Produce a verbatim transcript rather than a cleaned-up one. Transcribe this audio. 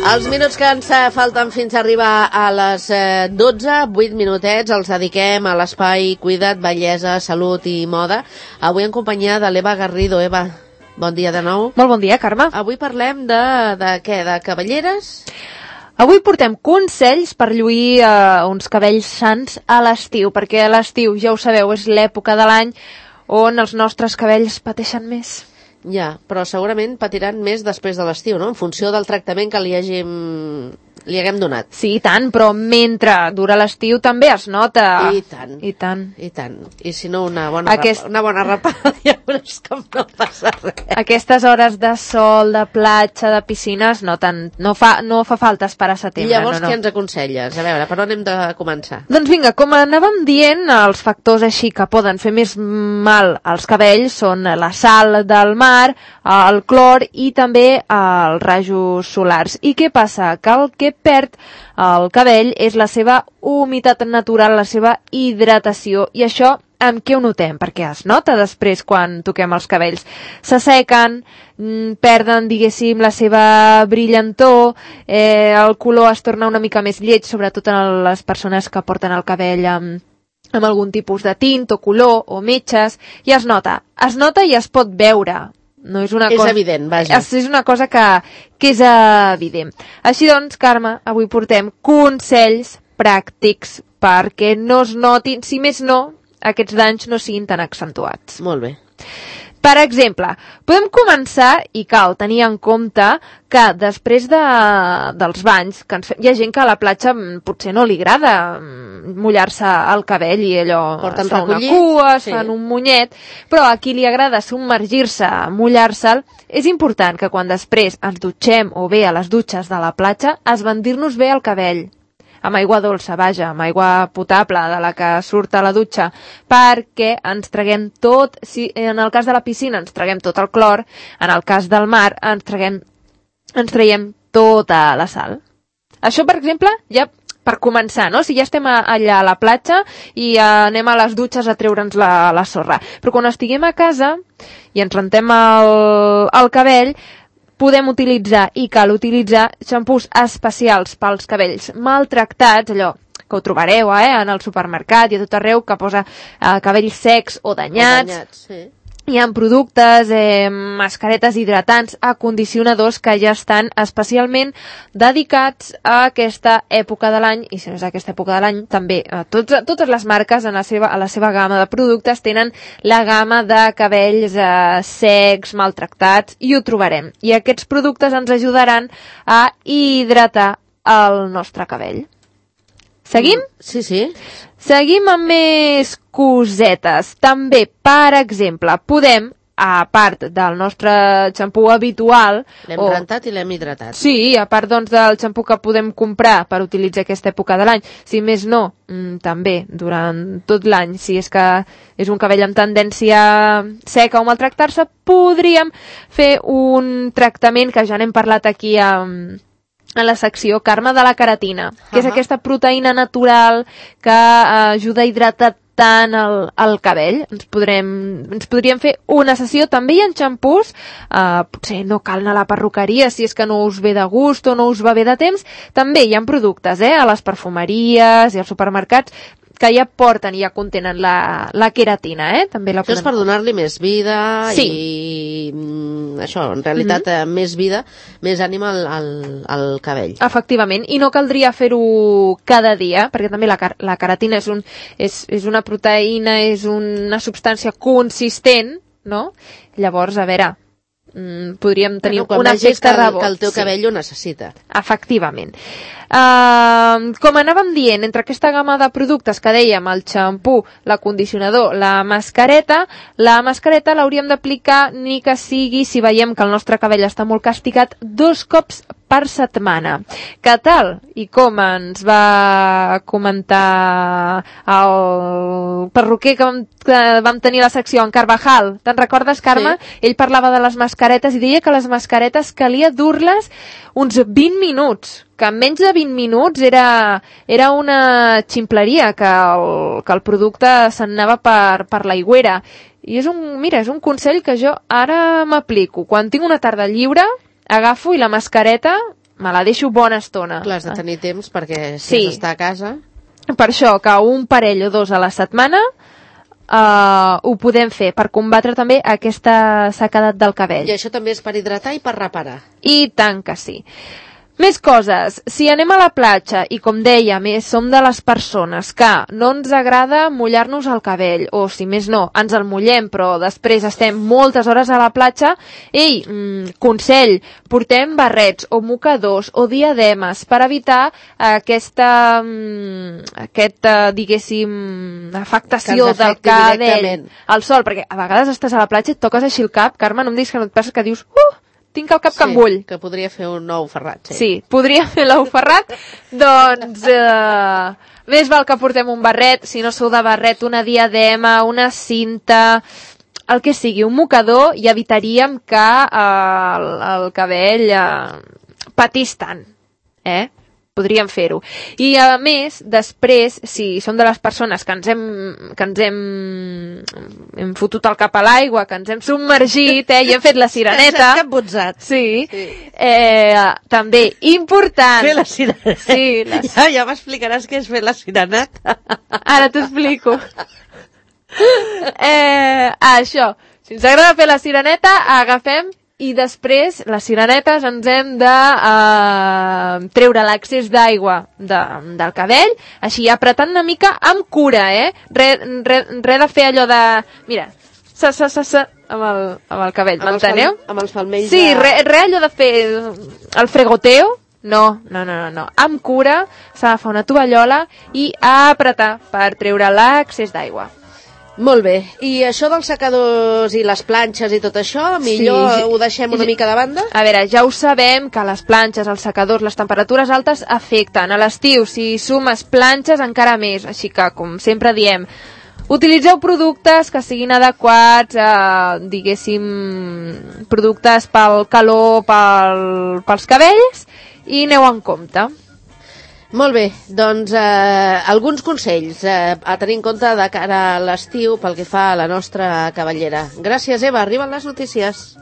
Els minuts que ens falten fins a arribar a les dotze, vuit minutets, els dediquem a l'espai Cuida't, Bellesa, Salut i Moda. Avui en companyia de l'Eva Garrido. Eva, bon dia de nou. Molt bon dia, Carme. Avui parlem de, de què? De cabelleres? Avui portem consells per lluir eh, uns cabells sans a l'estiu, perquè a l'estiu, ja ho sabeu, és l'època de l'any on els nostres cabells pateixen més. Ja, però segurament patiran més després de l'estiu, no? En funció del tractament que li hàgim, li haguem donat. Sí, i tant, però mentre dura l'estiu també es nota. I tant. I tant. I tant. I si no, una bona, Aquest... rapa, una bona rapada, ja veuràs com no passa res. Aquestes hores de sol, de platja, de piscines, no, tant, no, fa, no fa falta esperar a setembre. I llavors no, no. què ens aconselles? A veure, per on hem de començar? Doncs vinga, com anàvem dient, els factors així que poden fer més mal als cabells són la sal del mar, el clor i també els rajos solars. I què passa? Que el que perd el cabell és la seva humitat natural, la seva hidratació, i això amb què ho notem? Perquè es nota després quan toquem els cabells. S'assequen, perden, diguéssim, la seva brillantor, eh, el color es torna una mica més lleig, sobretot en les persones que porten el cabell amb, amb algun tipus de tint o color o metges, i es nota. Es nota i es pot veure. No és una és cosa... evident, vaja. És, és una cosa que, que és evident. Així doncs, Carme, avui portem consells pràctics perquè no es notin, si més no, aquests danys no siguin tan accentuats. Molt bé. Per exemple, podem començar, i cal tenir en compte que després de, dels banys, que ens, hi ha gent que a la platja potser no li agrada mullar-se el cabell i allò Porten es fa recollit, una cua, es sí. fan un munyet, però a qui li agrada submergir-se, mullar-se'l, és important que quan després ens dutxem o bé a les dutxes de la platja, esbandir-nos bé el cabell. Amb aigua dolça, vaja, amb aigua potable de la que surt a la dutxa, perquè ens traguem tot, si en el cas de la piscina ens traguem tot el clor, en el cas del mar ens traguem, ens traiem tota la sal. Això, per exemple, ja per començar, no? Si ja estem allà a la platja i anem a les dutxes a treure'ns la, la sorra. Però quan estiguem a casa i ens rentem el, el cabell, podem utilitzar i cal utilitzar xampús especials pels cabells maltractats, allò que ho trobareu eh, en el supermercat i a tot arreu, que posa eh, cabells secs o danyats. O danyats, sí. Hi ha productes, eh, mascaretes hidratants, acondicionadors que ja estan especialment dedicats a aquesta època de l'any, i si no és aquesta època de l'any, també eh, tots, totes les marques en la seva, a la seva gamma de productes tenen la gamma de cabells eh, secs, maltractats, i ho trobarem. I aquests productes ens ajudaran a hidratar el nostre cabell. Seguim? Sí, sí. Seguim amb més cosetes. També, per exemple, podem, a part del nostre xampú habitual... L'hem o... rentat i l'hem hidratat. Sí, a part doncs, del xampú que podem comprar per utilitzar aquesta època de l'any, si més no, mmm, també durant tot l'any, si és que és un cabell amb tendència seca o maltractar-se, podríem fer un tractament que ja n'hem parlat aquí amb... en la secció, Carme, de la queratina, que uh-huh. és aquesta proteïna natural que uh, ajuda a hidratar tant el, el cabell. Ens, podrem, ens podríem fer una sessió. També hi ha xampús, uh, potser no cal anar a la perruqueria si és que no us ve de gust o no us va bé de temps. També hi ha productes eh, a les perfumeries i als supermercats que ja porten i ja contenen la, la queratina, eh? També la Això podem... és per donar-li més vida sí. i mm, això, en realitat, mm-hmm. més vida, més ànima al, al, al cabell. Efectivament, i no caldria fer-ho cada dia, perquè també la, la queratina és, un, és, és una proteïna, és una substància consistent, no? Llavors, a veure... Mm, podríem tenir bueno, un efecte rebot. Que el teu cabell sí. ho necessita. Efectivament. Uh, com anàvem dient, entre aquesta gamma de productes que dèiem, el xampú, l'acondicionador, la mascareta, la mascareta l'hauríem d'aplicar ni que sigui, si veiem que el nostre cabell està molt castigat, dos cops per setmana. Què tal? I com ens va comentar el perruquer que vam, que vam tenir la secció en Carvajal? Te'n recordes, Carme? Sí. Ell parlava de les mascaretes i deia que les mascaretes calia dur-les uns vint minuts, que en menys de vint minuts era, era una ximpleria, que el, que el producte se'n anava per, per l'aigüera. I és un, mira, és un consell que jo ara m'aplico. Quan tinc una tarda lliure, agafo i la mascareta me la deixo bona estona. Clar, has de tenir temps perquè si Sí. has d'estar a casa... Per això que un parell o dos a la setmana uh, ho podem fer per combatre també aquesta sequedat del cabell. I això també és per hidratar i per reparar. I tant que sí. Més coses. Si anem a la platja i, com deia, més som de les persones que no ens agrada mullar-nos el cabell, o si més no, ens el mullem, però després estem moltes hores a la platja, ei, mm, consell, portem barrets o mocadors o diademes per evitar aquesta, mm, aquesta diguéssim, afectació Que ens del afecti cabell directament. al sol, perquè a vegades estàs a la platja i et toques així el cap, Carme, no em diguis que no et passa que dius, uh, tinc el cap que em bull. Que podria fer un nou ferrat. Sí, Sí, podria fer l'ou ferrat. Doncs eh, més val que portem un barret, si no sou de barret, una diadema, una cinta, el que sigui, un mocador, i evitaríem que eh, el, el cabell eh, patís tant. Eh? Podríem fer-ho. I a més, després, si som de les persones que ens hem, que ens hem, hem fotut el cap a l'aigua, que ens hem submergit, eh, i hem fet la sireneta... Ens has capbutzat. Sí, Sí. Eh, també important... Fer la sireneta. Sí, la... Ja, ja m'explicaràs què és fer la sireneta. Ara t'ho explico. eh, això, si ens agrada fer la sireneta, agafem i després les sirenetes ens hem de eh, treure l'accés d'aigua de, del cabell, així apretant una mica amb cura, eh? Res re, re de fer allò de... Mira, sa, sa, sa, sa, amb el, amb el cabell, m'enteneu? Amb els palmells Sí, de... res re allò de fer el fregoteo. No, no, no, no, no. Amb cura s'ha d'agafar una tovallola i apretar per treure l'accés d'aigua. Molt bé. I això dels secadors i les planxes i tot això, millor Sí. ho deixem una mica de banda? A veure, ja ho sabem que les planxes, els secadors, les temperatures altes afecten. A l'estiu, si sumes planxes, encara més. Així que, com sempre diem, utilitzeu productes que siguin adequats, eh, diguéssim, productes pel calor, pel, pels cabells, i aneu en compte. Molt bé, doncs eh, alguns consells eh, a tenir en compte de cara a l'estiu pel que fa a la nostra cabellera. Gràcies, Eva. Arriben les notícies.